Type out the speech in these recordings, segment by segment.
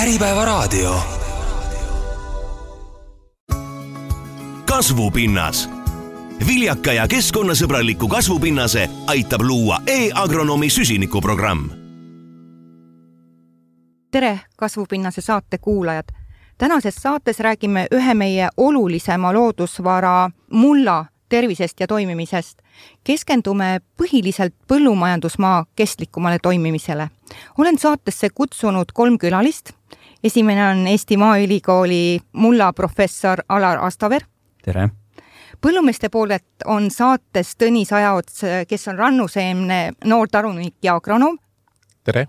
Äripäevaraadio. Kasvupinnas. Viljaka ja keskkonnasõbraliku kasvupinnase aitab luua e-agronomi süsinikuprogramm. Tere, Kasvupinnase saate kuulajad! Tänases saates räägime ühe meie olulisema loodusvara mulla tervisest ja toimimisest. Keskendume põhiliselt põllumajandusmaa kestlikumale toimimisele. Olen saatesse kutsunud 3 külalist. Esimene on Eesti Maaülikooli mulla professor Alar Astaver. Tere! Põllumeeste poolelt on saates Tõnis Ajaots, kes on rannuseemne noortarunik ja agronoom. Tere!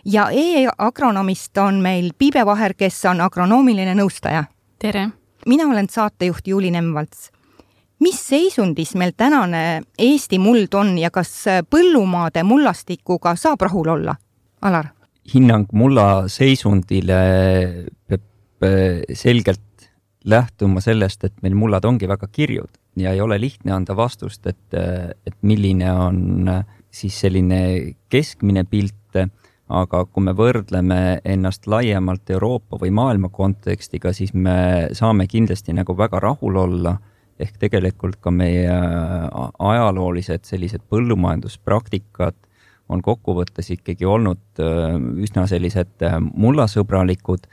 Ja e-agronomist on meil Piibe Vaher, kes on agronoomiline nõustaja. Tere! Mina olen saatejuht Juuli Nemvalts. Mis seisundis meil tänane Eesti muld on ja kas põllumaade mullastikuga saab rahul olla? Alar? Hinnang mulla seisundile peab selgelt lähtuma sellest, et meil mullad ongi väga kirjud ja ei ole lihtne anda vastust, et milline on siis selline keskmine pilt, aga kui me võrdleme ennast laiemalt Euroopa või maailma kontekstiga, siis me saame kindlasti nagu väga rahul olla, ehk tegelikult ka meie ajaloolised sellised põllumajanduspraktikad on kokkuvõttes ikkagi olnud üsna sellised mullasõbralikud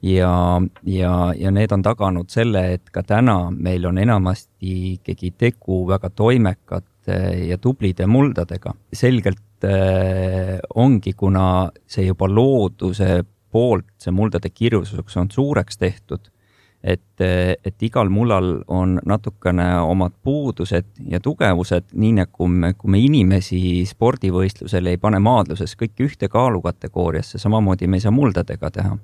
ja need on taganud selle, et ka täna meil on enamasti ikkagi tegu väga toimekate ja tublide muldadega. Selgelt ongi, kuna see juba looduse poolt see muldade kirjususeks on suureks tehtud, et igal mullal on natukene omad puudused ja tugevused, nii nagu kui me inimesi spordivõistlusel ei pane maadluses kõik ühte kaalukategooriasse, samamoodi me ei saa muldadega teha.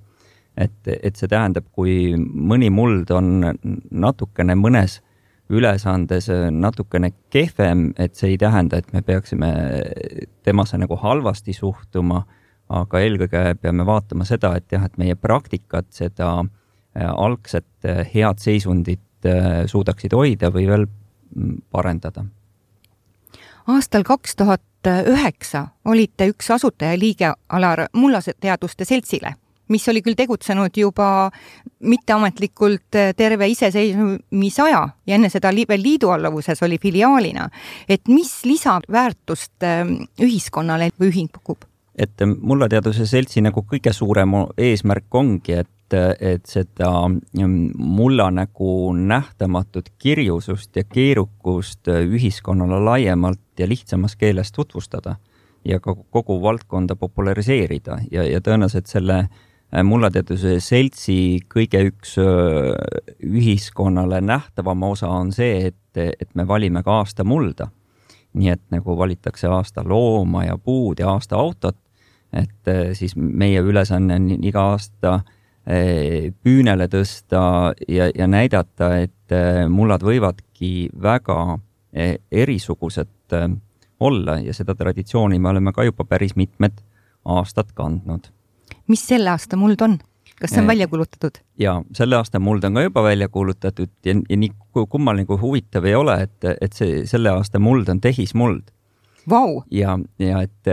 Et see tähendab, kui mõni muld on natukene mõnes ülesandes natukene kehvem, et see ei tähenda, et me peaksime temasse nagu halvasti suhtuma, aga eelkõige peame vaatama seda, et meie praktikat seda algset head seisundit suudaksid hoida või veel parendada. Aastal 2009 olite üks asutajaliige Alar mullateaduste seltsile, mis oli küll tegutsenud juba mitteametlikult terve iseseisvumisaja ja enne seda veel liiduallavuses oli filiaalina. Et mis lisaväärtust ühiskonnale või ühing pakub? Et mullateaduse seltsi nagu kõige suurem eesmärk ongi, et seda mulla nagu nähtamatut kirjusust ja keerukust ühiskonnale laiemalt ja lihtsamas keeles tutvustada ja ka kogu valdkonda populariseerida ja tõenäoliselt selle mullateaduse seltsi kõige üks ühiskonnale nähtavama osa on see, et me valime ka aasta mulda. Nii et nagu valitakse aasta looma ja puud ja aasta autot, et siis meie ülesanne on iga aasta püünele tõsta ja näidata, et mullad võivadki väga erisugused olla ja seda traditsiooni me oleme ka juba päris mitmed aastad kandnud. Mis selle aasta muld on? Kas see on välja kuulutatud? Ja selle aasta muld on ka juba välja kuulutatud ja nii kummaline kui huvitav ei ole, et selle aasta muld on tehismuld. Vau! Ja et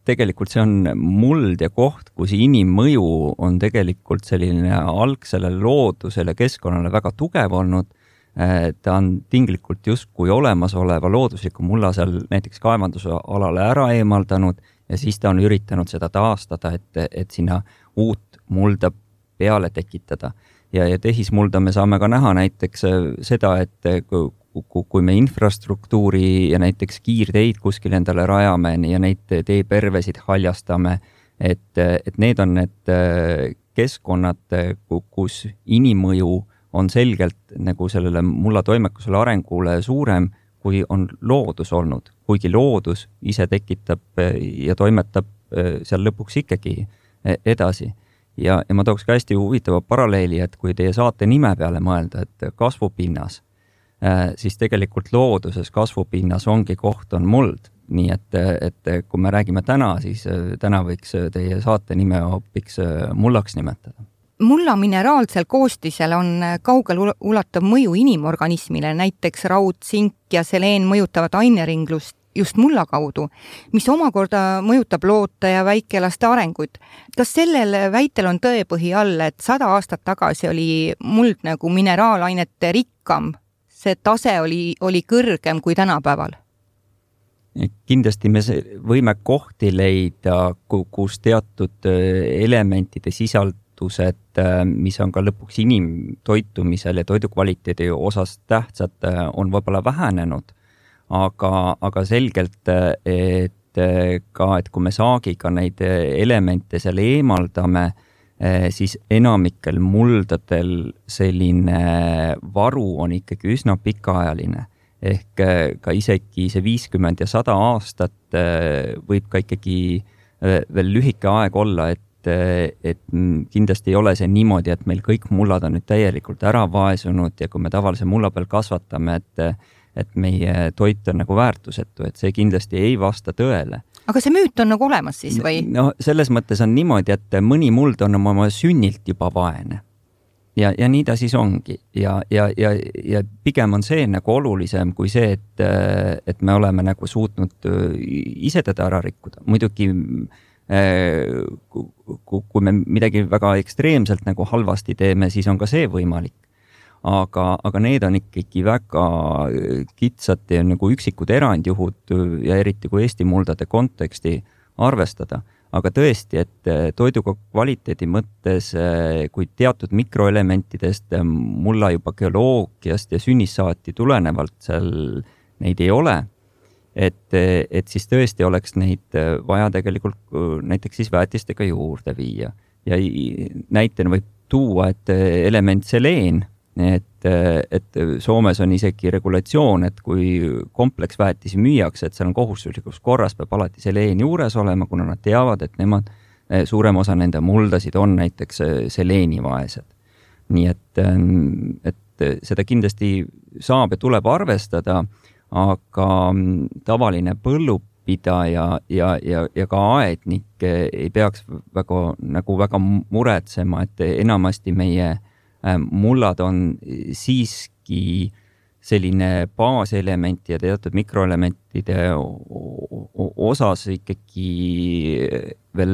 tegelikult see on muld ja koht, kus inimmõju on tegelikult selline algsele loodusele keskkonnale väga tugev olnud. Ta on tinglikult justkui olemasoleva loodusliku mulla seal näiteks kaevanduse alale ära eemaldanud ja siis ta on üritanud seda taastada, et sinna uut mulda peale tekitada. Ja tehismulda me saame ka näha näiteks seda, et kui me infrastruktuuri ja näiteks kiirteid kuskil endale rajame ja neid teepervesid haljastame, et need on need keskkonnad, kus inimmõju on selgelt nagu sellele mulla toimekusele arengule suurem, kui on loodus olnud. Kuigi loodus ise tekitab ja toimetab seal lõpuks ikkagi edasi. Ja ma tooks ka hästi huvitava paralleeli, et kui teie saate nime peale mõelda, et kasvupinnas, siis tegelikult looduses kasvupinnas ongi koht on muld. Nii et kui me räägime täna, siis täna võiks teie saate nime hoopiks mullaks nimetada. Mulla mineraalsel koostisel on kaugel ulatav mõju inimorganismile, näiteks raud, sink ja seleen mõjutavad aineringlust just mulla kaudu, mis omakorda mõjutab loote ja väikelaste arenguid. Kas sellel väitel on tõepõhi all, et 100 aastat tagasi oli muld nagu mineraalainete rikkam, see tase oli kõrgem kui tänapäeval? Kindlasti me võime kohti leida, kus teatud elementide sisaldused, mis on ka lõpuks inimtoitumisel ja toidukvaliteedi osas tähtsad, on võib-olla vähenenud. Aga selgelt, et kui me saagiga neid elemente seal eemaldame, siis enamikel muldadel selline varu on ikkagi üsna pikaajaline. Ehk ka isegi see 50 ja 100 aastat võib ka ikkagi veel lühike aeg olla, et kindlasti ei ole see niimoodi, et meil kõik mullad on nüüd täielikult ära vaesunud ja kui me tavalise mulla peal kasvatame, et meie toit on nagu väärtusetu, et see kindlasti ei vasta tõele. Aga see müüt on nagu olemas siis või? No selles mõttes on niimoodi, et mõni muld on oma sünnilt juba vaene. Ja nii ta siis ongi. Ja pigem on see nagu olulisem kui see, et me oleme nagu suutnud ise teda ära rikkuda. Muidugi, kui me midagi väga ekstreemselt nagu halvasti teeme, siis on ka see võimalik. Aga need on ikkagi väga kitsad ja nagu üksikud erandjuhud ja eriti kui Eesti muldade konteksti arvestada. Aga tõesti, et toiduga kvaliteedi mõttes, kui teatud mikroelementidest mulla juba geoloogiast ja sünnissaati tulenevalt seal neid ei ole, et siis tõesti oleks neid vaja tegelikult näiteks siis väetistega juurde viia. Ja näitena võib tuua, et element seleen, et Soomes on isegi regulatsioon, et kui kompleksväetisi müüakse, et seal on kohustuslikus korras, peab alati seleen juures olema, kuna nad teavad, et nemad, suurem osa nende muldasid on näiteks seleenivaesed. Nii et seda kindlasti saab ja tuleb arvestada, aga tavaline põllupidaja ja ka aednik ei peaks väga muretsema, et enamasti meie mullad on siiski selline baaselement ja teatud mikroelementide osas ikkagi veel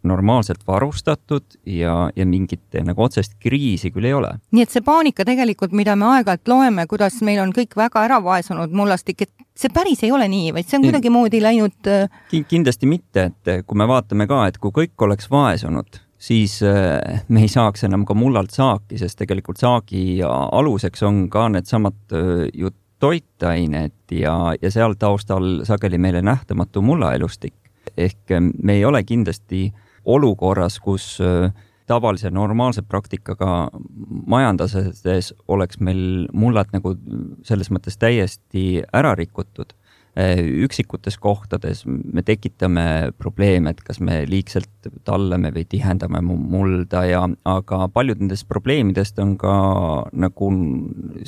normaalselt varustatud ja mingit nagu otsest kriisi küll ei ole. Nii et see paanika tegelikult, mida me aeg-ajalt loeme, kuidas meil on kõik väga ära vaesunud mullastik, et see päris ei ole nii, vaid see on kuidagi moodi läinud... Kindlasti mitte, et kui me vaatame ka, et kui kõik oleks vaesunud, siis me ei saaks enam ka mullalt saaki, sest tegelikult saagi aluseks on ka need samad ju toitained ja seal taustal sageli meile nähtamatu mullaelustik. Ehk me ei ole kindlasti olukorras, kus tavalise normaalse praktikaga majandades oleks meil mullad nagu selles mõttes täiesti ära rikutud. Üksikutes kohtades me tekitame probleeme, et kas me liigselt tallame või tihendame mulda, aga paljud nendest probleemidest on ka nagu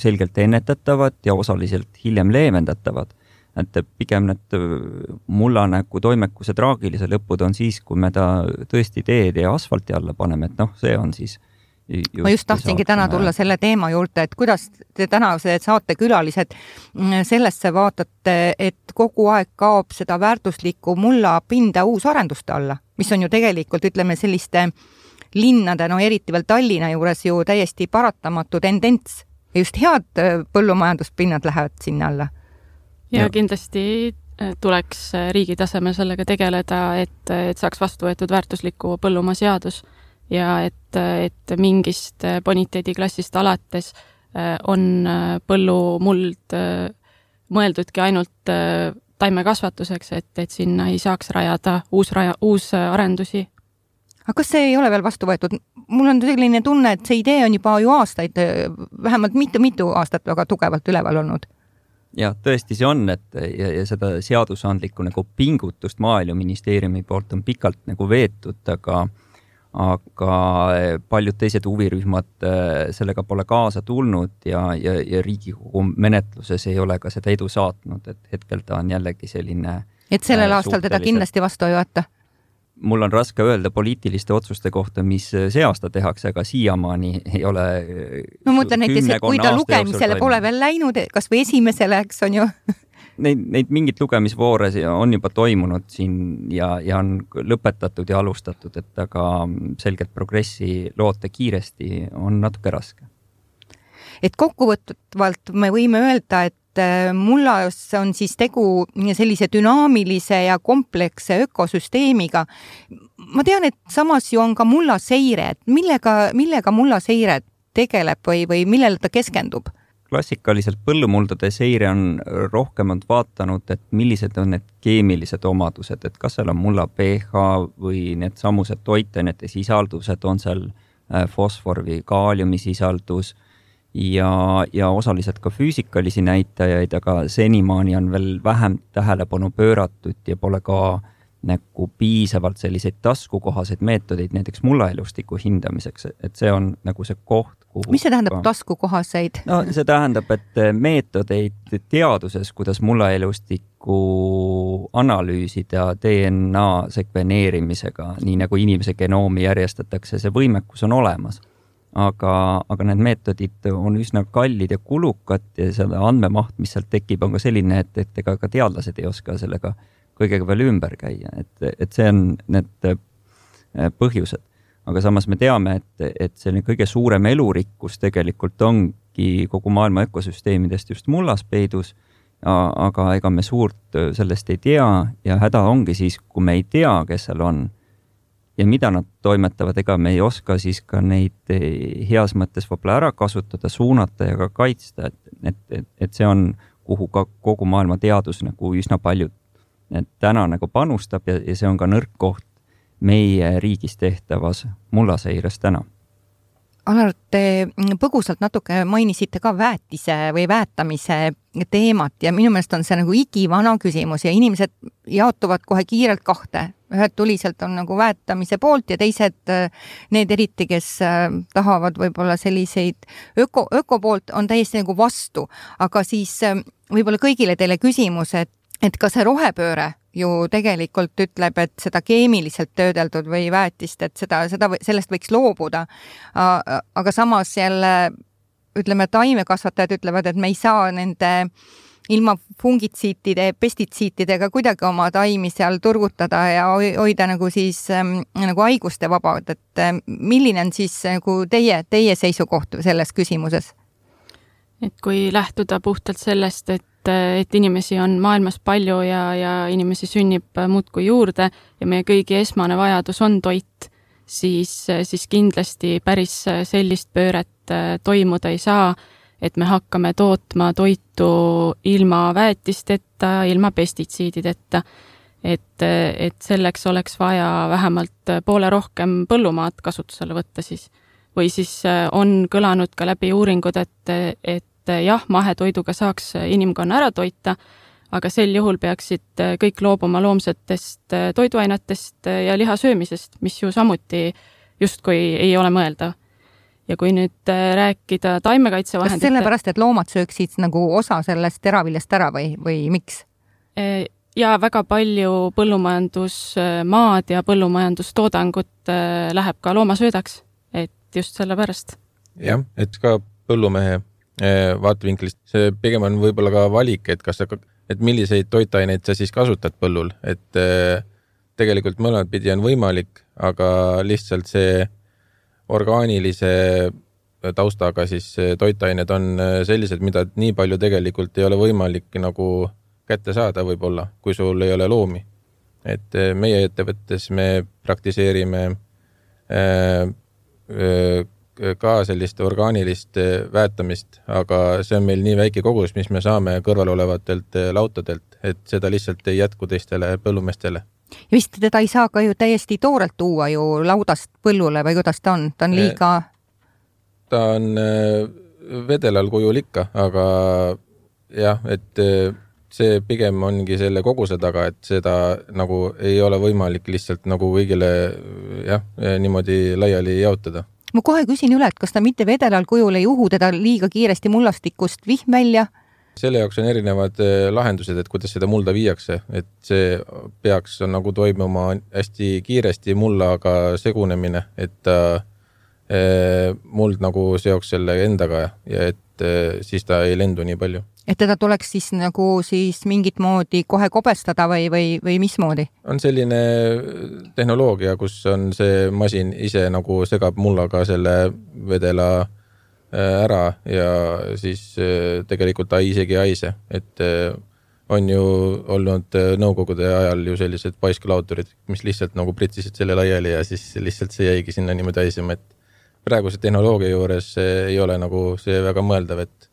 selgelt ennetatavad ja osaliselt hiljem leevendatavad. Et pigem need mulla nagu toimekuse traagilise lõpud on siis, kui me ta tõesti teed ja asfalti alla paneme, et see on siis ma just tahtsingi täna tulla selle teema juurde, et kuidas te tänased saatekülalised sellesse vaatate, et kogu aeg kaob seda väärtuslikku mulla pinda uusarenduste alla, mis on ju tegelikult, ütleme, selliste linnade, eriti veel Tallinna juures ju täiesti paratamatu tendents ja just head põllumajanduspinnad lähevad sinna alla. Ja kindlasti tuleks riigi tasemel sellega tegeleda, et saaks vastu võetud väärtusliku põllumaa seadus ja et mingist boniteediklassist alates on põllumuld mõeldudki ainult taimekasvatuseks, et sinna ei saaks rajada uus arendusi. Aga kas see ei ole veel vastu võetud? Mul on selline tunne, et see idee on juba ju aastaid, vähemalt mitu aastat väga tugevalt üleval olnud. Ja tõesti see on, et ja seda seadusandlikku nagu pingutust Maaeluministeeriumi poolt on pikalt nagu veetud, aga paljud teised huvirühmad sellega pole kaasa tulnud ja Riigikogu menetluses ei ole ka seda edu saatnud, et hetkel ta on jällegi selline... Et sellel aastal teda kindlasti vastu ei võeta? Mul on raske öelda poliitiliste otsuste kohta, mis see aasta tehakse, aga siiamaani ei ole... No mõtlen näiteks, et kui ta lugemisele pole veel läinud, kas või esimesele, eks on ju... neid mingit lugemisvoore on juba toimunud siin ja on lõpetatud ja alustatud, et aga selgelt progressi loota kiiresti on natuke raske. Et kokkuvõtvalt me võime öelda, et mullas on siis tegu sellise dünaamilise ja kompleksse ökosüsteemiga. Ma tean, et samas ju on ka mullaseire, et millega mullaseire tegeleb või millele ta keskendub? Klassikaliselt põllumuldade seire on rohkemalt vaatanud, et millised on need keemilised omadused, et kas seal on mulla pH või need samused toitainete sisaldused, on seal fosfor või kaaliumi sisaldus ja osaliselt ka füüsikalisi näitajaid, aga senimaani on veel vähem tähelepanu pööratud ja pole ka nagu piisavalt selliseid taskukohaseid meetodeid näiteks mullaelustiku hindamiseks, et see on nagu see koht, kuhu... Mis see tähendab taskukohaseid? No see tähendab, et meetodeid teaduses, kuidas mullaelustikku analüüsida DNA sekveneerimisega, nii nagu inimese genoomi järjestatakse, see võimekus on olemas. Aga need meetodid on üsna kallid ja kulukad ja selle andmemaht, mis sealt tekib, on ka selline, et ega ka teadlased ei oska sellega kõigega veel ümber käia, et see on need põhjused. Aga samas me teame, et selline kõige suurem elurikkus tegelikult ongi kogu maailma ökosüsteemidest just mullas peidus, aga ega me suurt sellest ei tea ja häda ongi siis, kui me ei tea, kes seal on ja mida nad toimetavad, ega me ei oska siis ka neid heas mõttes võib-olla ära kasutada, suunata ja ka kaitsta, et see on, kuhu ka kogu maailma teadus nagu üsna palju täna nagu panustab ja see on ka nõrk koht meie riigis tehtavas mullaseires täna. Alar, te põgusalt natuke mainisite ka väetise või väetamise teemat ja minu meelest on see nagu igivana küsimus ja inimesed jaotuvad kohe kiirelt kahte. Ühed tuliselt on nagu väetamise poolt ja teised need eriti, kes tahavad võib-olla selliseid öko poolt on täiesti nagu vastu. Aga siis võib-olla kõigile teile küsimus, et kas see rohepööre ju tegelikult ütleb, et seda keemiliselt töödeldud või väetist, et sellest võiks loobuda. Aga samas jälle, ütleme, taimekasvatajad ütlevad, et me ei saa nende ilma fungitsiitide, pestitsiitidega kuidagi oma taimi seal turgutada ja hoida nagu siis nagu haiguste vabad. Et milline on siis nagu teie seisukoht selles küsimuses? Et kui lähtuda puhtalt sellest, et inimesi on maailmas palju ja inimesi sünnib muudkui juurde ja meie kõigi esmane vajadus on toit, siis kindlasti päris sellist pööret toimuda ei saa, et me hakkame tootma toitu ilma väetisteta, ilma pestitsiidideta. Et selleks oleks vaja vähemalt poole rohkem põllumaad kasutusele võtta siis. Või siis on kõlanud ka läbi uuringud, et jah, mahetoiduga saaks inimkonna ära toita, aga sel juhul peaksid kõik loobuma loomsetest toiduainetest ja liha söömisest, mis ju samuti justkui ei ole mõeldav. Ja kui nüüd rääkida taimekaitsevahendite... Kas sellepärast, et loomad sööksid nagu osa sellest teraviljast ära või miks? Ja väga palju põllumajandusmaad ja põllumajandustoodangut läheb ka loomasöödaks, et just selle pärast. Jah, et ka põllumehe vaatevinklist. See pigem on võib-olla ka valik, et milliseid toitaineid sa siis kasutad põllul. Et tegelikult mõlemad pidi on võimalik, aga lihtsalt see orgaanilise taustaga siis toitained on sellised, mida nii palju tegelikult ei ole võimalik nagu kätte saada võib-olla, kui sul ei ole loomi. Et meie ettevõttes me praktiseerime ka sellist orgaanilist väetamist, aga see on meil nii väike kogus, mis me saame kõrval olevatelt lautadelt, et seda lihtsalt ei jätku teistele põllumestele. Ja vist teda ei saa ka ju täiesti toorelt tuua ju laudast põllule või kuidas ta on? Ta on liiga... Ta on vedelal kujul ikka, aga jah, et see pigem ongi selle koguse taga, et seda nagu ei ole võimalik lihtsalt nagu kõigile niimoodi laiali jaotada. Ma kohe küsin üle, et kas ta mitte vedelal kujul ei uhu teda liiga kiiresti mullastikust vihm välja? Selle jaoks on erinevad lahendused, et kuidas seda mulda viiakse, et see peaks nagu toimuma hästi kiiresti mullaga segunemine, et muld nagu seoks selle endaga ja et siis ta ei lendu nii palju. Et teda tuleks siis nagu siis mingit moodi kohe kobestada või mismoodi? On selline tehnoloogia, kus on see masin ise nagu segab mullaga selle vedela ära ja siis tegelikult ta isegi ei haise, et on ju olnud nõukogude ajal ju sellised paiskulautorid, mis lihtsalt nagu pritsisid selle laiali ja siis lihtsalt see jäigi sinna niimoodi haisema, et praeguse tehnoloogia juures ei ole nagu see väga mõeldav, et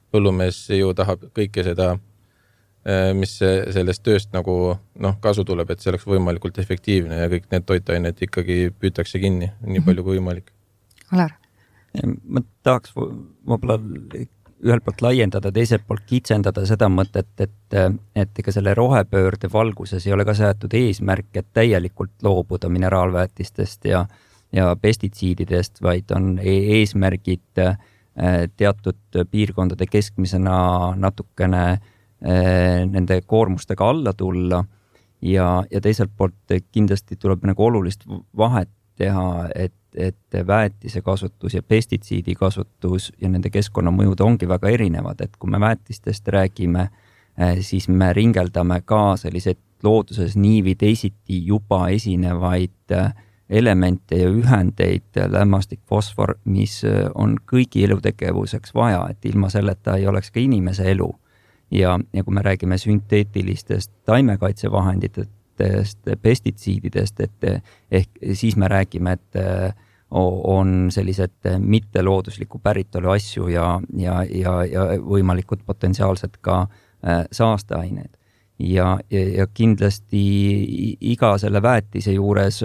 põllumees ju tahab kõike seda, mis sellest tööst nagu kasu tuleb, et see oleks võimalikult efektiivne ja kõik need toitained ikkagi püütakse kinni nii palju kui võimalik. Alar? Ma tahaks võib-olla ühelt poolt laiendada, teiselt poolt kitsendada seda mõtet, et ega selle rohepöörde valguses ei ole ka seatud eesmärk, et täielikult loobuda mineraalväetistest ja pestitsiididest, vaid on eesmärgid teatud piirkondade keskmisena natukene nende koormustega alla tulla ja teiselt poolt kindlasti tuleb nagu olulist vahet teha, et väetise kasutus ja pestitsiidi kasutus ja nende keskkonnamõjud ongi väga erinevad, et kui me väetistest räägime, siis me ringeldame ka selliseid looduses nii või teisiti juba esinevaid elemente ja ühendeid, lämmastik, fosfor, mis on kõigi elutegevuseks vaja, et ilma selleta ei oleks ka inimese elu. Ja kui me räägime sünteetilistest taimekaitsevahenditest, pestitsiididest, ehk siis me räägime, et on sellised mitteloodusliku päritolu asju ja võimalikud potentsiaalsed ka saasteained. Ja kindlasti iga selle väetise juures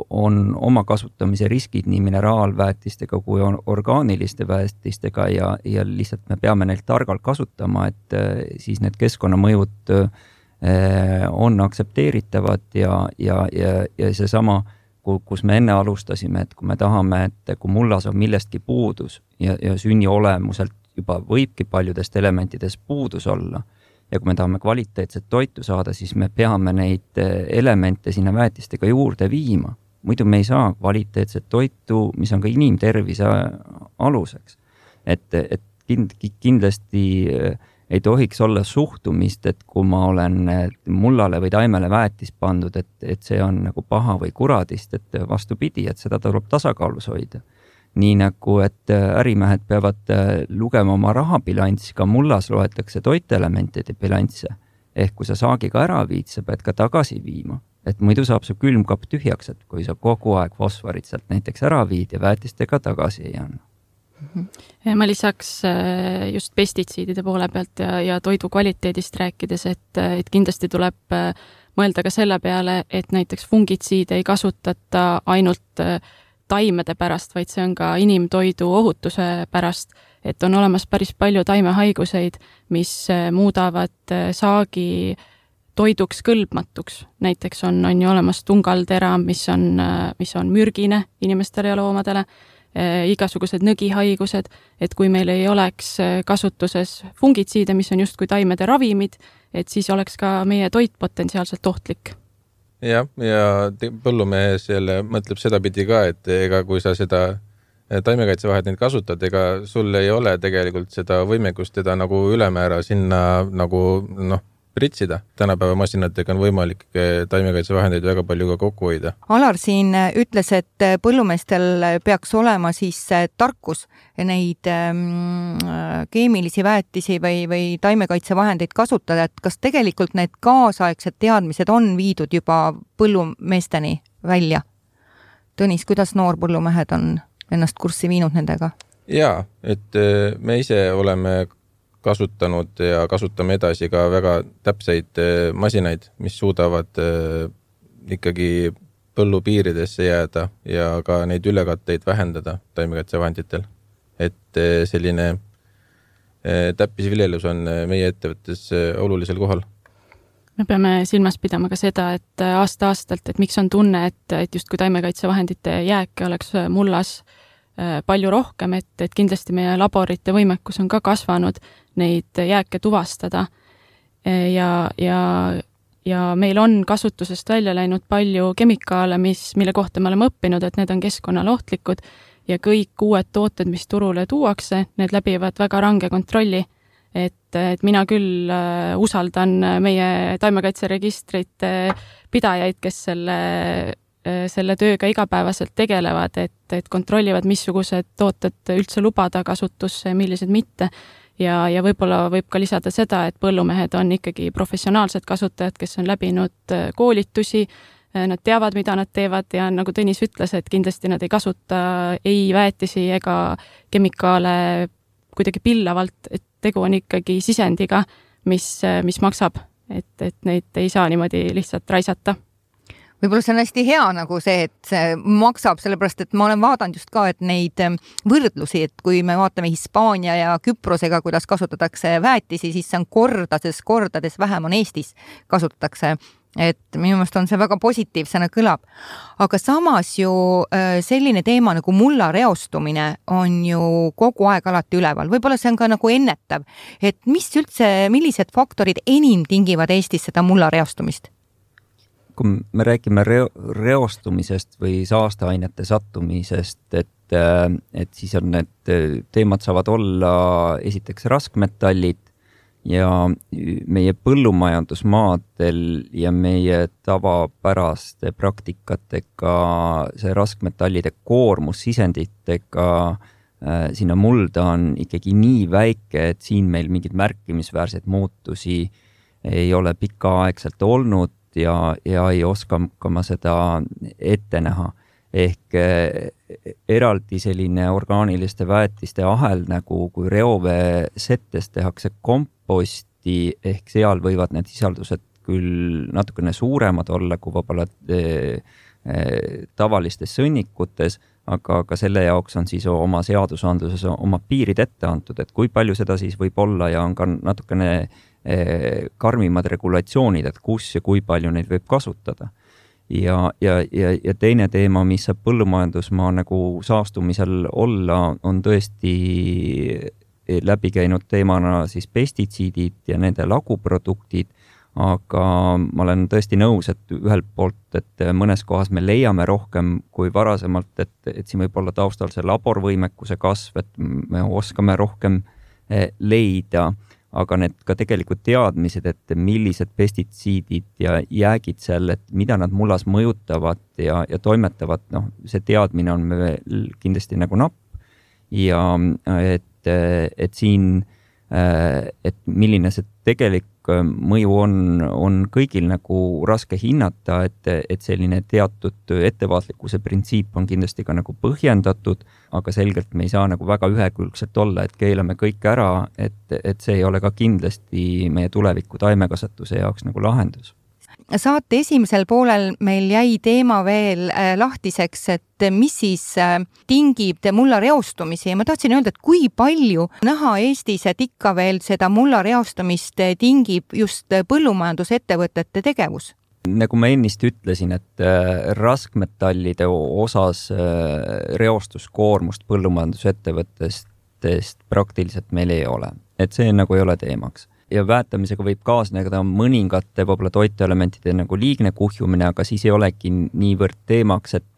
on oma kasutamise riskid nii mineraalväetistega kui orgaaniliste väetistega ja lihtsalt me peame neilt targalt kasutama, et siis need keskkonnamõjud on aktsepteeritavad ja seesama, kus me enne alustasime, et kui me tahame, et kui mullas on millestki puudus ja sünni olemuselt juba võibki paljudest elementidest puudus olla, ja kui me tahame kvaliteetset toitu saada, siis me peame neid elemente sinna väetistega juurde viima. Muidu me ei saa kvaliteetset toitu, mis on ka inimtervise aluseks. Et kindlasti ei tohiks olla suhtumist, et kui ma olen mullale või taimele väetis pandud, et see on nagu paha või kuradist, et vastupidi, et seda tuleb tasakaalus hoida. Nii nagu, et ärimehed peavad lugema oma rahabilanssi, ka mullas loetakse toitelementide bilansse. Ehk kui sa saagiga ära viid, sa pead ka tagasi viima. Et muidu saab su külmkapp tühjaks, et kui sa kogu aeg fosforit sealt näiteks ära viid ja väetistega tagasi ei anna. Ma lisaks just pestitsiidide poole pealt ja toidu kvaliteedist rääkides, et kindlasti tuleb mõelda ka selle peale, et näiteks fungitsiide ei kasutata ainult taimede pärast, vaid see on ka inimtoidu ohutuse pärast, et on olemas päris palju taimehaiguseid, mis muudavad saagi toiduks kõlbmatuks. Näiteks on ju olemas tungaltera, mis on mürgine inimestele ja loomadele, igasugused nõgihaigused, et kui meil ei oleks kasutuses fungitsiide, mis on just kui taimede ravimid, et siis oleks ka meie toit potentsiaalselt ohtlik. Ja põllumees jälle mõtleb seda pidi ka, et ega kui sa seda taimekaitsevahendeid kasutad, ega sul ei ole tegelikult seda võimekust teda nagu ülemäära sinna nagu pritsida. Tänapäeva masinatega on võimalik taimekaitsevahendeid väga palju ka kokku hoida. Alar siin ütles, et põllumeestel peaks olema siis tarkus neid keemilisi väetisi või taimekaitsevahendeid kasutada, et kas tegelikult need kaasaegsed teadmised on viidud juba põllumeesteni välja? Tõnis, kuidas noorpõllumehed on ennast kurssi viinud nendega? Jaa, et me ise oleme kasutanud ja kasutame edasi ka väga täpseid masinaid, mis suudavad ikkagi põllupiiridesse jääda ja ka neid ülekatteid vähendada taimekaitsevahenditel. Et selline täppisviljelus on meie ettevõttes olulisel kohal. Me peame silmas pidama ka seda, et aasta-aastalt, et miks on tunne, et just kui taimekaitsevahendite jääke oleks mullas palju rohkem, et kindlasti meie laborite võimekus on ka kasvanud neid jääke tuvastada ja meil on kasutusest välja läinud palju kemikaale, mille kohta me oleme õppinud, et need on keskkonnale ohtlikud ja kõik uued tooted, mis turule tuuakse, need läbivad väga range kontrolli, et et mina küll usaldan meie taimekaitseregistrite pidajaid, kes selle tööga igapäevaselt tegelevad, et kontrollivad, missugused tooted üldse lubada kasutusse, millised mitte. Ja võib-olla võib ka lisada seda, et põllumehed on ikkagi professionaalsed kasutajad, kes on läbinud koolitusi, nad teavad, mida nad teevad ja nagu Tõnis ütles, et kindlasti nad ei kasuta ei väetisi ega kemikaale kuidagi pillavalt, et tegu on ikkagi sisendiga, mis maksab, et neid ei saa niimoodi lihtsalt raisata. Võib-olla see on hästi hea nagu see, et see maksab, sellepärast et ma olen vaadanud just ka, et neid võrdlusi, et kui me vaatame Hispaania ja Küprosega, kuidas kasutatakse väetisi, siis see on kordades vähem on Eestis kasutatakse. Et minu meelest on see väga positiivsena kõlab. Aga samas ju selline teema nagu mulla reostumine on ju kogu aeg alati üleval. Võib-olla see on ka nagu ennetav, et millised faktorid enim tingivad Eestis seda mulla reostumist? Kui me räägime reostumisest või saasteainete sattumisest, et siis on need teemad saavad olla esiteks raskmetallid ja meie põllumajandusmaadel ja meie tavapäraste praktikatega see raskmetallide koormus sisenditega sinna mulda on ikkagi nii väike, et siin meil mingid märkimisväärseid muutusi ei ole pikaaegselt olnud ja ei oska ka ma seda ette näha. Ehk eraldi selline orgaaniliste väetiste ahel, nagu kui reoveesettes tehakse komposti, ehk seal võivad need sisaldused küll natukene suuremad olla kui võib-olla tavalistes sõnnikutes, aga ka selle jaoks on siis oma seadusandluses oma piirid ette antud, et kui palju seda siis võib olla ja on ka natukene karmimad regulatsioonid, et kus ja kui palju neid võib kasutada. Ja teine teema, mis saab põllumajandusmaa nagu saastumisel olla, on tõesti läbi käinud teemana siis pestitsiidid ja nende laguproduktid, aga ma olen tõesti nõus, et ühelt poolt, et mõnes kohas me leiame rohkem kui varasemalt, et siin võib olla taustal see laborvõimekuse kasv, et me oskame rohkem leida, aga need ka tegelikult teadmised, et millised pestitsiidid ja jäägid seal, et mida nad mullas mõjutavad ja toimetavad, see teadmine on meil kindlasti nagu napp ja et siin, et milline see tegelik mõju on kõigil nagu raske hinnata, et selline teatud ettevaatlikkuse printsiip on kindlasti ka nagu põhjendatud, aga selgelt me ei saa nagu väga ühekülgselt olla, et keelame kõik ära, et see ei ole ka kindlasti meie tuleviku taimekasvatuse jaoks nagu lahendus. Saate esimesel poolel meil jäi teema veel lahtiseks, et mis siis tingib mulla reostumisi ja ma tahtsin öelda, et kui palju näha Eestis, et ikka veel seda mulla reostumist tingib just põllumajandusettevõtete tegevus? Nagu ma ennist ütlesin, et raskmetallide osas reostuskoormust põllumajandusettevõttest praktiliselt meil ei ole, et see nagu ei ole teemaks. Ja väetamisega võib kaasneda mõningate võib-olla toiteelementide nagu liigne kuhjumine, aga siis ei olegi niivõrd teemaks, et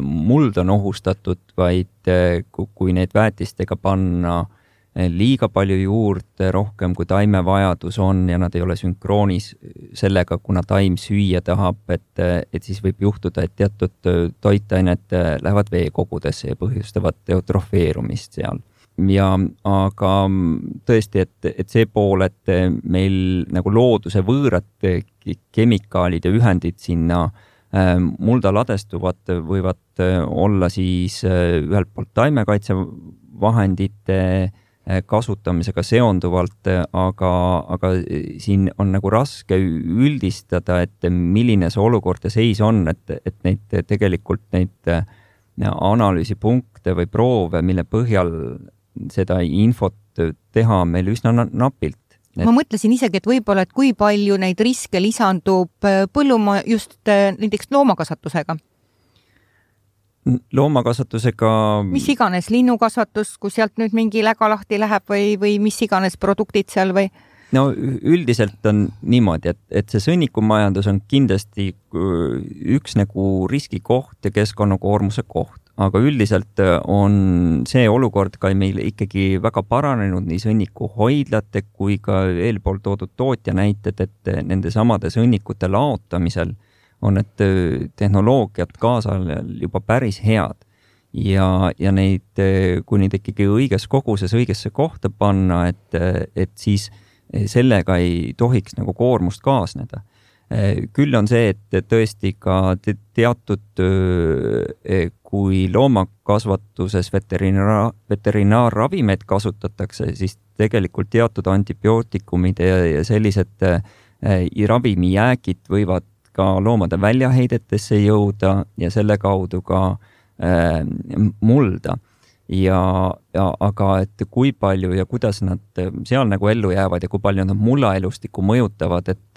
muld on ohustatud, vaid kui neid väetistega panna liiga palju juurde, rohkem kui taime vajadus on ja nad ei ole sünkroonis sellega, kuna taim süüa tahab, et siis võib juhtuda, et teatud toitained lähevad veekogudesse ja põhjustavad eutrofeerumist seal. Aga tõesti, et see pool, et meil nagu looduse võõrad kemikaalid ja ühendid sinna mulda ladestuvad, võivad olla siis ühelt poolt taimekaitsevahendite kasutamisega seonduvalt, aga siin on nagu raske üldistada, et milline see olukord ja seis on, et neid tegelikult neid analüüsipunkte või proove, mille põhjal seda infot teha meil üsna napilt. Ma mõtlesin isegi, et võib-olla, et kui palju neid riske lisandub just näiteks loomakasvatusega. Loomakasvatusega... Mis iganes, linnukasvatus, kui sealt nüüd mingi läga lahti läheb või mis iganes produktid seal või... No üldiselt on niimoodi, et see sõnnikumajandus on kindlasti üks nagu riskikoht ja keskkonnakoormuse koht, aga üldiselt on see olukord ka meil ikkagi väga paranenud nii sõnnikuhoidlate kui ka eelpool toodud tootja näited, et nende samade sõnnikute laotamisel on need tehnoloogiad kaasajal juba päris head. Ja neid, kui neid ikkagi õiges koguses õigesse kohta panna, et siis sellega ei tohiks nagu koormust kaasneda. Küll on see, et tõesti ka teatud, kui loomakasvatuses veterinaarravimeid kasutatakse, siis tegelikult teatud antibiootikumid ja sellised ravimijäägid võivad ka loomade väljaheidetesse jõuda ja selle kaudu ka mulda. Aga et kui palju ja kuidas nad seal nagu ellu jäävad ja kui palju nad mullaelustikku mõjutavad, et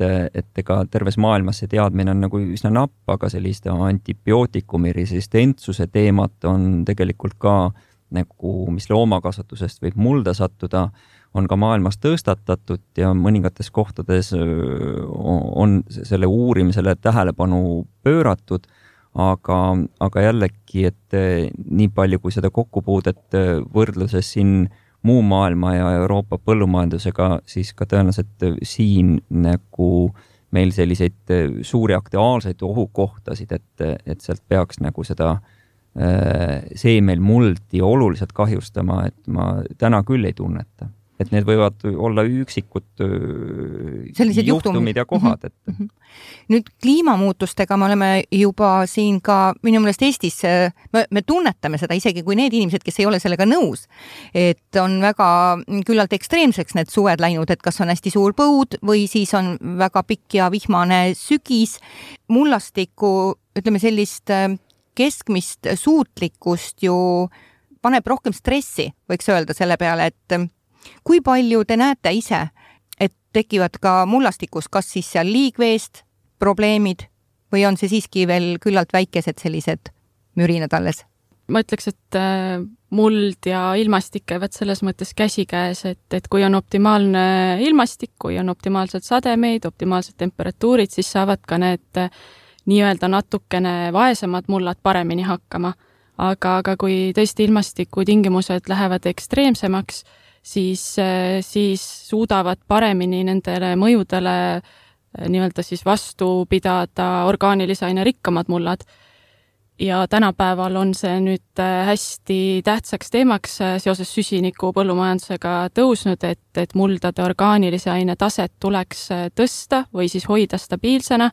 ega terves maailmas see teadmine on nagu üsna napp, aga selliste antibiootikumi resistentsuse teemat on tegelikult ka nagu, mis loomakasvatusest võib mulda sattuda, on ka maailmas tõstatatud ja mõningates kohtades on selle uurimisele tähelepanu pööratud. Aga jällegi, et nii palju kui seda kokkupuudet võrdluses siin muu maailma ja Euroopa põllumajandusega, siis ka tõenäoliselt siin nagu meil selliseid suuri aktuaalseid ohukohtasid, et sealt peaks nagu seda seemel muldi oluliselt kahjustama, et ma täna küll ei tunneta. Et need võivad olla üksikud juhtumid ja kohad. Nüüd kliimamuutustega me oleme juba siin ka minu meelest Eestis, me tunnetame seda isegi kui need inimesed, kes ei ole sellega nõus, et on väga küllalt ekstreemseks need suved läinud, et kas on hästi suur põud või siis on väga pikk ja vihmane sügis. Mullastikku, ütleme sellist keskmist suutlikkust ju paneb rohkem stressi, võiks öelda selle peale, et kui palju te näete ise, et tekivad ka mullastikus, kas siis seal liigveest probleemid või on see siiski veel küllalt väikesed sellised mürinad alles? Ma ütleks, et muld ja ilmastik käivad selles mõttes käsikäes, et kui on optimaalne ilmastik, kui on optimaalsed sademeid, optimaalsed temperatuurid, siis saavad ka need nii-öelda natukene vaesemad mullad paremini hakkama. Aga kui tõesti ilmastiku tingimused lähevad ekstreemsemaks, siis suudavad paremini nendele mõjudele nii-öelda siis vastu pidada orgaanilise aine rikkamad mullad. Ja tänapäeval on see nüüd hästi tähtsaks teemaks seoses süsiniku põllumajandusega tõusnud, et muldade orgaanilise aine taset tuleks tõsta või siis hoida stabiilsena,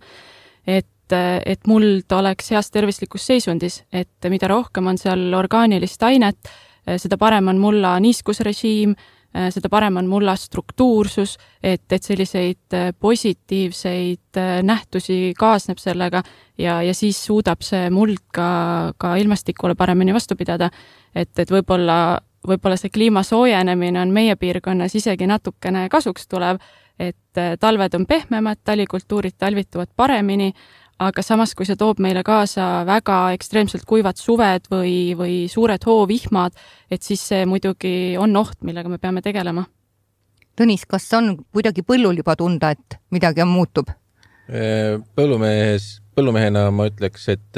et muld oleks heas tervislikus seisundis, et mida rohkem on seal orgaanilist ainet, seda parem on mulla niiskusrežiim, seda parem on mulla struktuursus, et selliseid positiivseid nähtusi kaasneb sellega ja siis suudab see muld ka ilmastikule paremini vastu pidada. Et võib-olla see kliima soojenemine on meie piirkonnas isegi natukene kasuks tulev, et talved on pehmemad, talikultuurid talvituvad paremini, aga samas, kui see toob meile kaasa väga ekstreemselt kuivad suved või suured hoovihmad, et siis see muidugi on oht, millega me peame tegelema. Tõnis, kas on kuidagi põllul juba tunda, et midagi on muutub? Põllumehena ma ütleks, et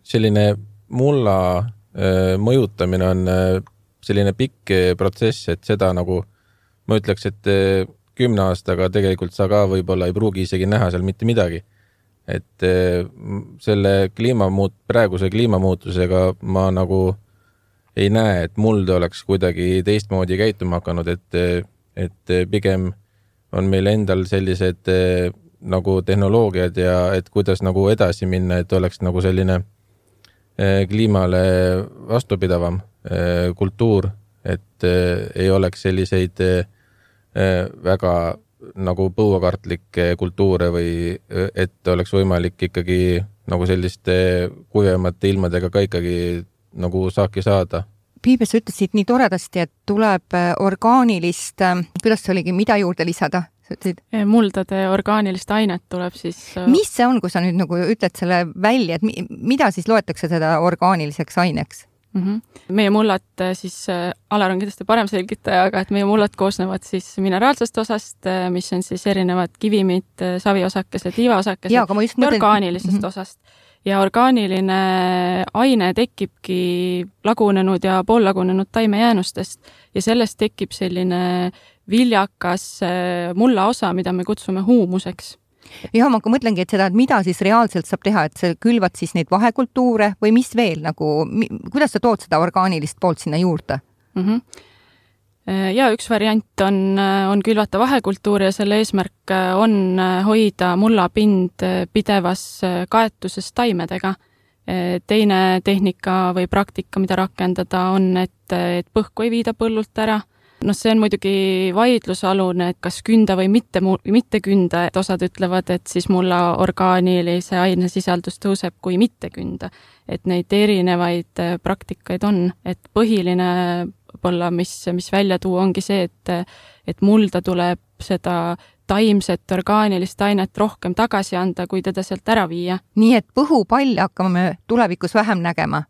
selline mulla mõjutamine on selline pikk protsess, et seda nagu ma ütleks, et 10 aastaga tegelikult sa ka võib-olla ei pruugi isegi näha seal mitte midagi. Et selle praeguse kliimamuutusega ma nagu ei näe, et muld oleks kuidagi teistmoodi käituma hakanud, et pigem on meil endal sellised nagu tehnoloogiad ja et kuidas nagu edasi minna, et oleks nagu selline kliimale vastupidavam kultuur, et ei oleks selliseid väga nagu põuakartlikke kultuure või et oleks võimalik ikkagi nagu selliste kuivemate ilmadega ka ikkagi nagu saaki saada. Piibe, sa ütlesid nii toredasti, et tuleb orgaanilist, kuidas see oligi, mida juurde lisada? Muldade orgaanilist ainet tuleb siis... Mis see on, kui sa nüüd nagu ütled selle välja, et mida siis loetakse seda orgaaniliseks aineks? Meie mullad siis, Alar on kindlasti parem selgitaja, aga et meie mullad koosnevad siis mineraalsest osast, mis on siis erinevad kivimid, saviosakesed, liivaosakesed ja orgaanilisest osast. ja orgaaniline aine tekibki lagunenud ja poollagunenud taimejäänustest ja sellest tekib selline viljakas mulla osa, mida me kutsume huumuseks. Ja ma mõtlengi, et seda, et mida siis reaalselt saab teha, et sa külvad siis neid vahekultuure või mis veel, kuidas sa tood seda orgaanilist poolt sinna juurde? Ja üks variant on külvata vahekultuuri ja selle eesmärk on hoida mullapind pidevas kaetuses taimedega. Teine tehnika või praktika, mida rakendada, on, et põhku ei viida põllult ära. See on muidugi vaidlusalune, et kas künda või mitte künda, et osad ütlevad, et siis mulla orgaanilise ainesisaldus tõuseb kui mitte künda. Et neid erinevaid praktikaid on, et põhiline võib-olla, mis välja tuua, ongi see, et mulda tuleb seda taimset orgaanilist ainet rohkem tagasi anda, kui teda sealt ära viia. Nii et põhupalle hakkame tulevikus vähem nägema?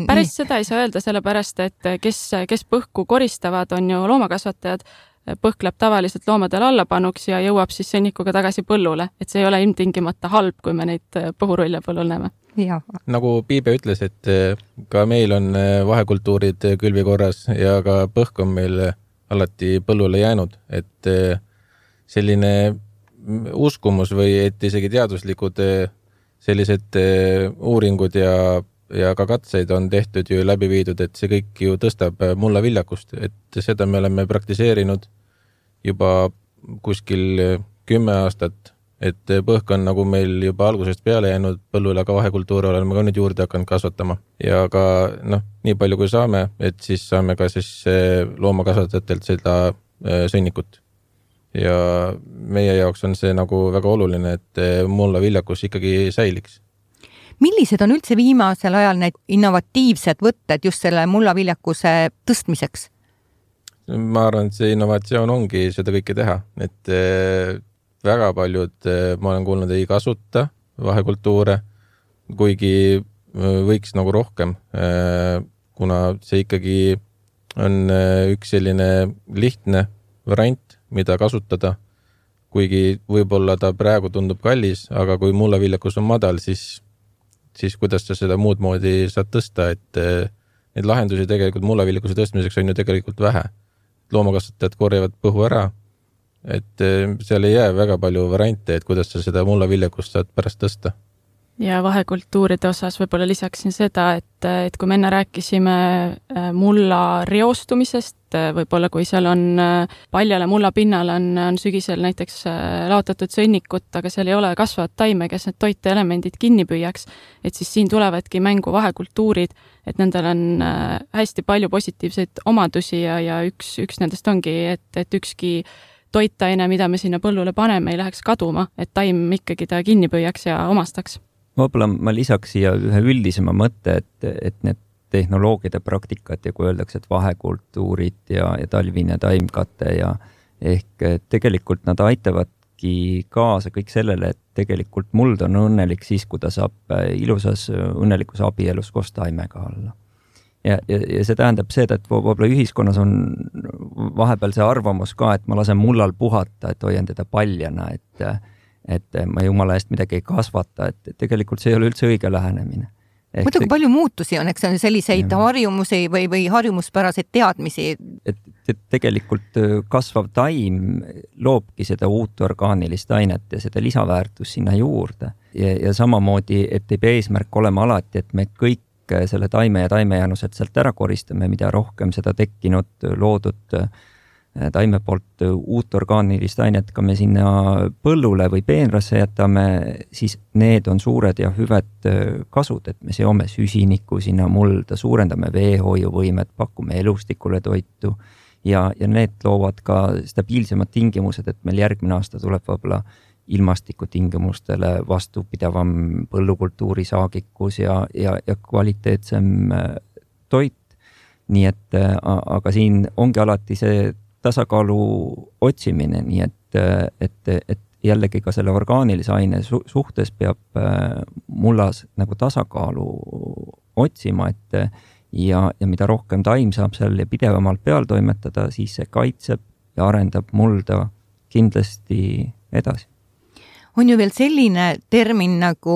Päris seda ei saa öelda, sellepärast, et kes põhku koristavad, on ju loomakasvatajad. Põhk läheb tavaliselt loomadel allapanuks ja jõuab siis sõnnikuga tagasi põllule. Et see ei ole ilmtingimata halb, kui me neid põhurulle põllul näeme. Ja. Nagu Piibe ütles, et ka meil on vahekultuurid külvi korras ja ka põhk on meil alati põllule jäänud, et selline uskumus või et isegi teaduslikud sellised uuringud ja ka katseid on tehtud ju läbi viidud, et see kõik ju tõstab mulla viljakust, et seda me oleme praktiseerinud juba kuskil 10 aastat, et põhk on nagu meil juba algusest peale jäänud põllule, aga vahekultuure oleme ka nüüd juurde hakanud kasvatama ja ka nii palju kui saame, et siis saame ka siis loomakasvatajatelt seda sõnnikut. Ja meie jaoks on see nagu väga oluline, et mulla viljakus ikkagi säiliks. Millised on üldse viimasel ajal need innovatiivsed võtted just selle mulla viljakuse tõstmiseks? Ma arvan, et see innovatsioon ongi seda kõike teha, et väga paljud, ma olen kuulnud, ei kasuta vahekultuure, kuigi võiks nagu rohkem, kuna see ikkagi on üks selline lihtne variant, mida kasutada, kuigi võib-olla ta praegu tundub kallis, aga kui mullaviljakus on madal, siis kuidas sa seda muud moodi saad tõsta, et neid lahendusi tegelikult mullaviljakuse tõstmiseks on ju tegelikult vähe. Loomakasvatajad korjavad põhu ära, et seal ei jää väga palju variante, et kuidas sa seda mullaviljakust saad pärast tõsta. Ja vahekultuuride osas võib-olla lisaksin seda, et kui me enne rääkisime mulla reostumisest, võib-olla kui seal on paljale mulla pinnal on sügisel näiteks laotatud sõnnikut, aga seal ei ole kasvavat taime, kes need toiteelemendid kinni püüaks, et siis siin tulevadki mängu vahekultuurid, et nendel on hästi palju positiivseid omadusi ja üks nendest ongi, et ükski toitaine, mida me sinna põllule paneme, ei läheks kaduma, et taim ikkagi ta kinni püüaks ja omastaks. Võib-olla ma lisaks siia ühe üldisema mõtte, et need tehnoloogide praktikat ja kui öeldakse, et vahekultuurid ja talvine taimkate ja ehk tegelikult nad aitavadki kaasa kõik sellele, et tegelikult muld on õnnelik siis, kui ta saab ilusas õnnelikus abielus koos taimega olla. Ja see tähendab seda, et võib-olla ühiskonnas on vahepeal see arvamus ka, et ma lasen mullal puhata, et hoian teda paljana, et ma jumala eest midagi ei kasvata, et tegelikult see ei ole üldse õige lähenemine. Muidugi palju muutusi on, eks on selliseid harjumusi või harjumuspäraseid teadmisi. Et tegelikult kasvav taim loobki seda uut orgaanilist ainet ja seda lisaväärtust sinna juurde. Ja samamoodi, et ei pea eesmärk olema alati, et me kõik selle taime ja taimejäänused sealt ära koristame, mida rohkem seda tekkinud, loodud taime poolt uut orgaanilist ainet ka me sinna põllule või peenrasse jätame, siis need on suured ja hüved kasud, et me seome süsinikku sinna mulda, suurendame veehoiuvõimet, pakume elustikule toitu ja need loovad ka stabiilsemad tingimused, et meil järgmine aasta tuleb võib-olla ilmastikutingimustele vastupidavam põllukultuuri saagikus ja kvaliteetsem toit. Nii et, aga siin ongi alati see tasakaalu otsimine, nii et jällegi ka selle orgaanilise aine suhtes peab mullas nagu tasakaalu otsima, ja mida rohkem taim saab seal pidevamalt peal toimetada, siis see kaitseb ja arendab mulda kindlasti edasi. On ju veel selline termin nagu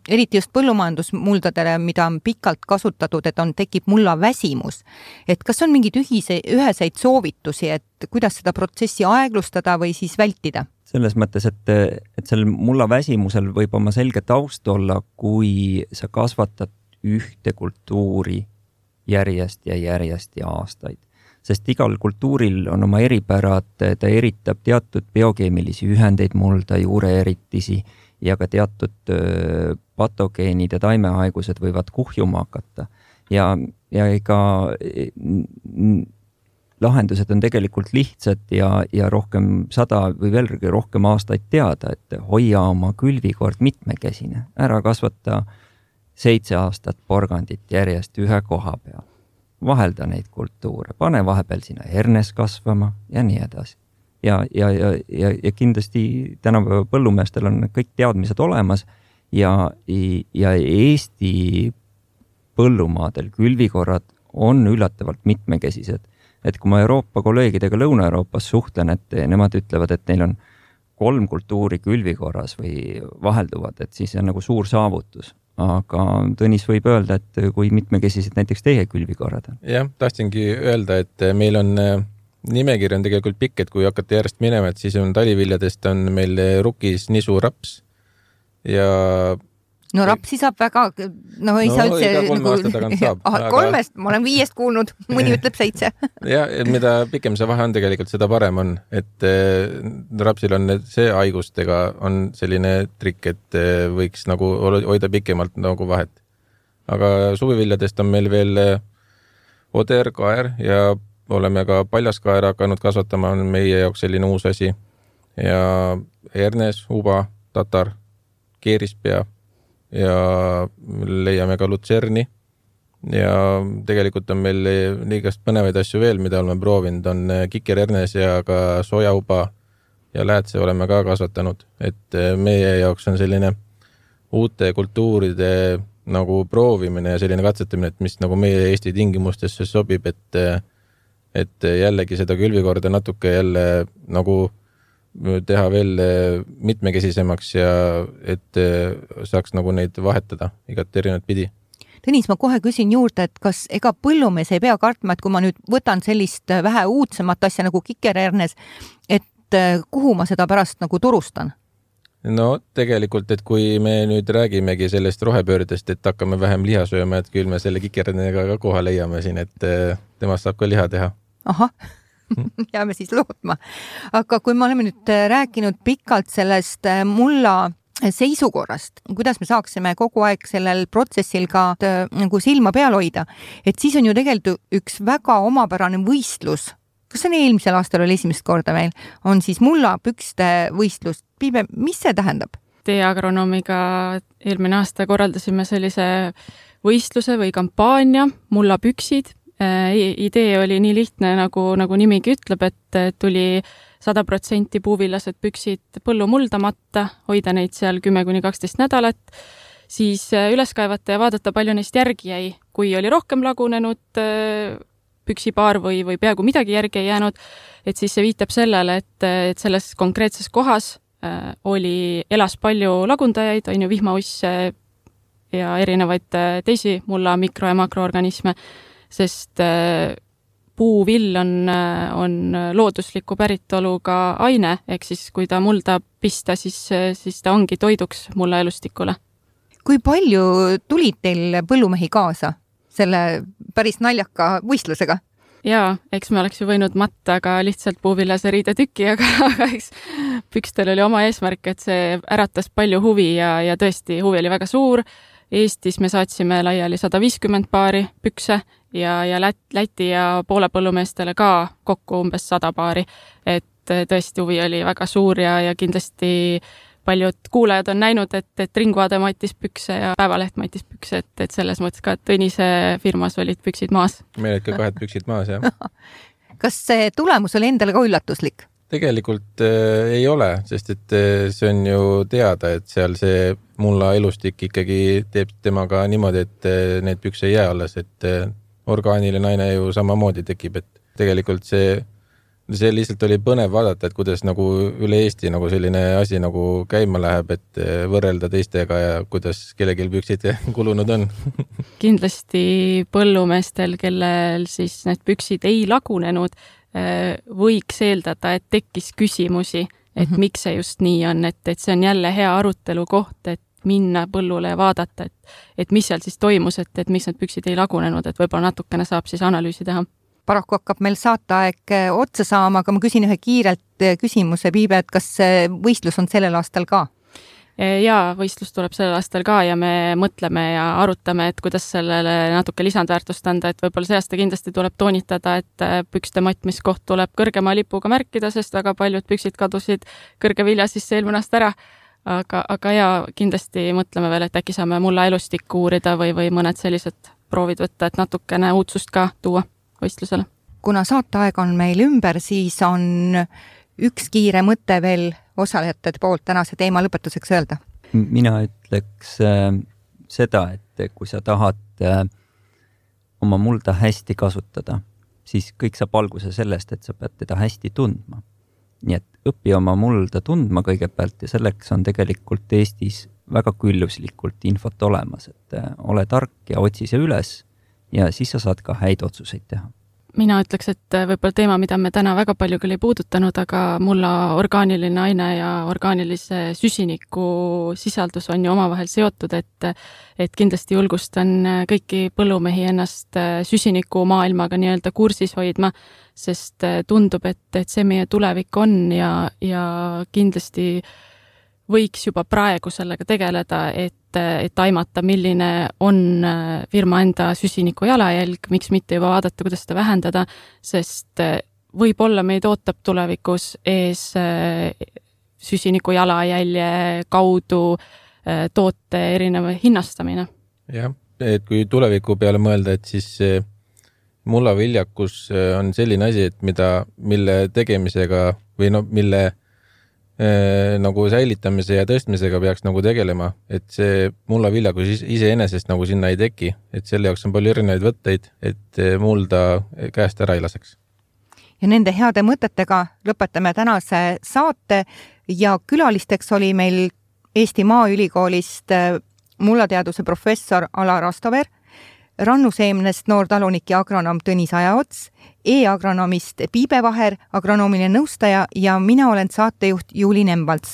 eriti just põllumajandusmuldadele, mida on pikalt kasutatud, et tekib mulla väsimus. Et kas on mingid üheseid soovitusi, et kuidas seda protsessi aeglustada või siis vältida? Selles mõttes, et sellel mulla väsimusel võib oma selge taust olla, kui sa kasvatad ühte kultuuri järjest ja aastaid. Sest igal kultuuril on oma eripärad, ta eritab teatud biokeemilisi ühendeid mulda, juureeritisi ja ka teatud patogeenid ja taimehaigused võivad kuhjuma hakata. Ja ega lahendused on tegelikult lihtsad ja rohkem 100 või veel rohkem aastaid teada, et hoia oma külvikord mitmekesine. Ära kasvata 7 aastat porgandit järjest ühe koha peal. Vahelda neid kultuure, pane vahepeal sinna hernes kasvama ja nii edasi. Ja kindlasti tänapäeva põllumeestel on kõik teadmised olemas ja Eesti põllumaadel külvikorrad on üllatavalt mitmekesised. Et kui ma Euroopa kolleegidega Lõuna-Euroopas suhtlen, et nemad ütlevad, et neil on 3 kultuuri külvikorras või vahelduvad, et siis on nagu suur saavutus. Aga Tõnis võib öelda, et kui mitmekesised näiteks teie külvikorrad on. Jah, tahtsingi öelda, et meil on nimekiri on tegelikult pikk, et kui hakata järjest minema, et siis on taliviljadest on meil rukis, nisu, raps ja... No rapsi saab väga, ei saa üldse... Iga 3 aasta tagant saab. Aga... 3, ma olen 5 kuulnud, mõni ütleb 7. Ja, mida pikem see vahe on tegelikult, seda parem on, et rapsil on see haigustega on selline trikk, et võiks nagu hoida pikemalt nagu vahet. Aga suviviljadest on meil veel oder, kaer ja oleme ka paljaskaera hakanud kasvatama, on meie jaoks selline uus asi. Ja hernes, uba, tatar, keerispea ja leiame ka lutserni ja tegelikult on meil liigast põnevaid asju veel, mida oleme proovinud, on kikerhernes ja ka sojauba ja läätse oleme ka kasvatanud, et meie jaoks on selline uute kultuuride nagu proovimine ja selline katsetamine, et mis nagu meie Eesti tingimustesse sobib, et jällegi seda külvikorda natuke jälle nagu teha veel mitmekesisemaks ja et saaks nagu neid vahetada igat erinevat pidi. Tõnis, ma kohe küsin juurde, et kas ega põllumees ei pea kartma, et kui ma nüüd võtan sellist vähe uudsemat asja nagu kikerhernes, et kuhu ma seda pärast nagu turustan? No tegelikult, et kui me nüüd räägimegi sellest rohepöördest, et hakkame vähem liha sööma, et küll me selle kikerhernega ka koha leiame siin, et temast saab ka liha teha. Ahah. Jääme siis lootma. Aga kui me oleme nüüd rääkinud pikalt sellest mulla seisukorrast, kuidas me saaksime kogu aeg sellel protsessil ka nagu silma peal hoida, et siis on ju tegelikult üks väga omapärane võistlus. Kas see on eelmisel aastal oli esimest korda meil? On siis mulla pükste võistlus. Piibe, mis see tähendab? Teie agronoomiga eelmine aasta korraldasime sellise võistluse või kampaania mulla püksid. Idee oli nii lihtne, nagu nimigi ütleb, et tuli 100% puuvillased püksid põllu muldamata, hoida neid seal 10-12 nädalat, siis üles kaevata ja vaadata, palju neist järgi jäi. Kui oli rohkem lagunenud püksipaar või peaaegu midagi järgi ei jäänud, et siis see viitab sellele, et selles konkreetses kohas elas palju lagundajaid, on ju vihmausse ja erinevaid teisi mulla mikro- ja makroorganisme, sest puuvill on loodusliku päritoluga aine, ehk siis kui ta mulda pista, siis ta ongi toiduks mulla elustikule. Kui palju tulid teil põllumehi kaasa selle päris naljaka võistlusega? Jaa, eks me oleks ju võinud matta ka lihtsalt puuvillase riide tükki, aga eks pükstel oli oma eesmärk, et see äratas palju huvi ja tõesti huvi oli väga suur. Eestis me saatsime laiali 150 paari pükse ja Läti ja Poole põllumeestele ka kokku umbes 100 paari. Et tõesti huvi oli väga suur ja kindlasti paljud kuulajad on näinud, et Ringvaade matis pükse ja Päevaleht matis pükse, et selles mõttes ka Tõnise firmas olid püksid maas. Meil olid ka 2 püksid maas, jah. Kas see tulemus oli endale ka üllatuslik? Tegelikult ei ole, sest et see on ju teada, et seal see mulla elustik ikkagi teeb temaga niimoodi, et need pükse ei jää alles, et orgaaniline aine ju samamoodi tekib, et tegelikult see see lihtsalt oli põnev vaadata, et kuidas nagu üle Eesti nagu selline asi nagu käima läheb, et võrrelda teistega ja kuidas kellelgi püksid kulunud on. Kindlasti põllumeestel, kellel siis need püksid ei lagunenud, võiks eeldada, et tekkis küsimusi, et miks see just nii on, et see on jälle hea arutelu koht, et minna põllule ja vaadata, et mis seal siis toimus, et miks need püksid ei lagunenud, et võib-olla natukene saab siis analüüsi teha. Paraku hakkab meil saateaeg otsa saama, aga ma küsin ühe kiirelt küsimuse, Piibe, et kas võistlus on sellel aastal ka? Jaa, võistlus tuleb sellel aastal ka ja me mõtleme ja arutame, et kuidas sellele natuke lisandväärtust anda, et võib-olla see aasta kindlasti tuleb toonitada, et pükste matmiskoht tuleb kõrgema lipuga märkida, sest väga paljud püksid kadusid kõrge vilja sisse eelmine aasta ära. Aga ja kindlasti mõtleme veel, et äkki saame mulla elustikku uurida või mõned sellised proovid võtta, et natukene uudsust ka tuua võistlusele. Kuna saateaeg on meil ümber, siis on üks kiire mõte veel osalejate poolt tänase teema lõpetuseks öelda. Mina ütleks seda, et kui sa tahad oma mulda hästi kasutada, siis kõik saab alguse sellest, et sa pead teda hästi tundma. Nii et õpi oma mulda tundma kõigepealt ja selleks on tegelikult Eestis väga külluslikult infot olemas, et ole tark ja otsi see üles ja siis sa saad ka häid otsuseid teha. Mina ütleks, et võib-olla teema, mida me täna väga palju küll ei puudutanud, aga mulla orgaaniline aine ja orgaanilise süsiniku sisaldus on ju omavahel seotud, et kindlasti julgustan kõiki põllumehi ennast süsiniku maailmaga nii-öelda kursis hoidma, sest tundub, et see meie tulevik on ja kindlasti võiks juba praegu sellega tegeleda, et aimata, milline on firma enda süsiniku jalajälg, miks mitte juba vaadata, kuidas seda vähendada, sest võib-olla meid ootab tulevikus ees süsiniku jalajälje kaudu toote erineva hinnastamine. Jah, et kui tuleviku peale mõelda, et siis mullaviljakus on selline asi, et mille tegemisega või mille nagu säilitamise ja tõstmisega peaks nagu tegelema, et see mullaviljakus iseenesest nagu sinna ei teki, et selle jaoks on palju erinevaid võtteid, et mulda käest ära ei laseks. Ja nende heade mõtetega lõpetame tänase saate ja külalisteks oli meil Eesti Maaülikoolist mullateaduse professor Alar Rastover, rannuseemnest noortalunik ja agronoom Tõnis Ajaots, e-agronomist Piibe Vaher, agronoomiline nõustaja ja mina olen saatejuht Juuli Nemvalts.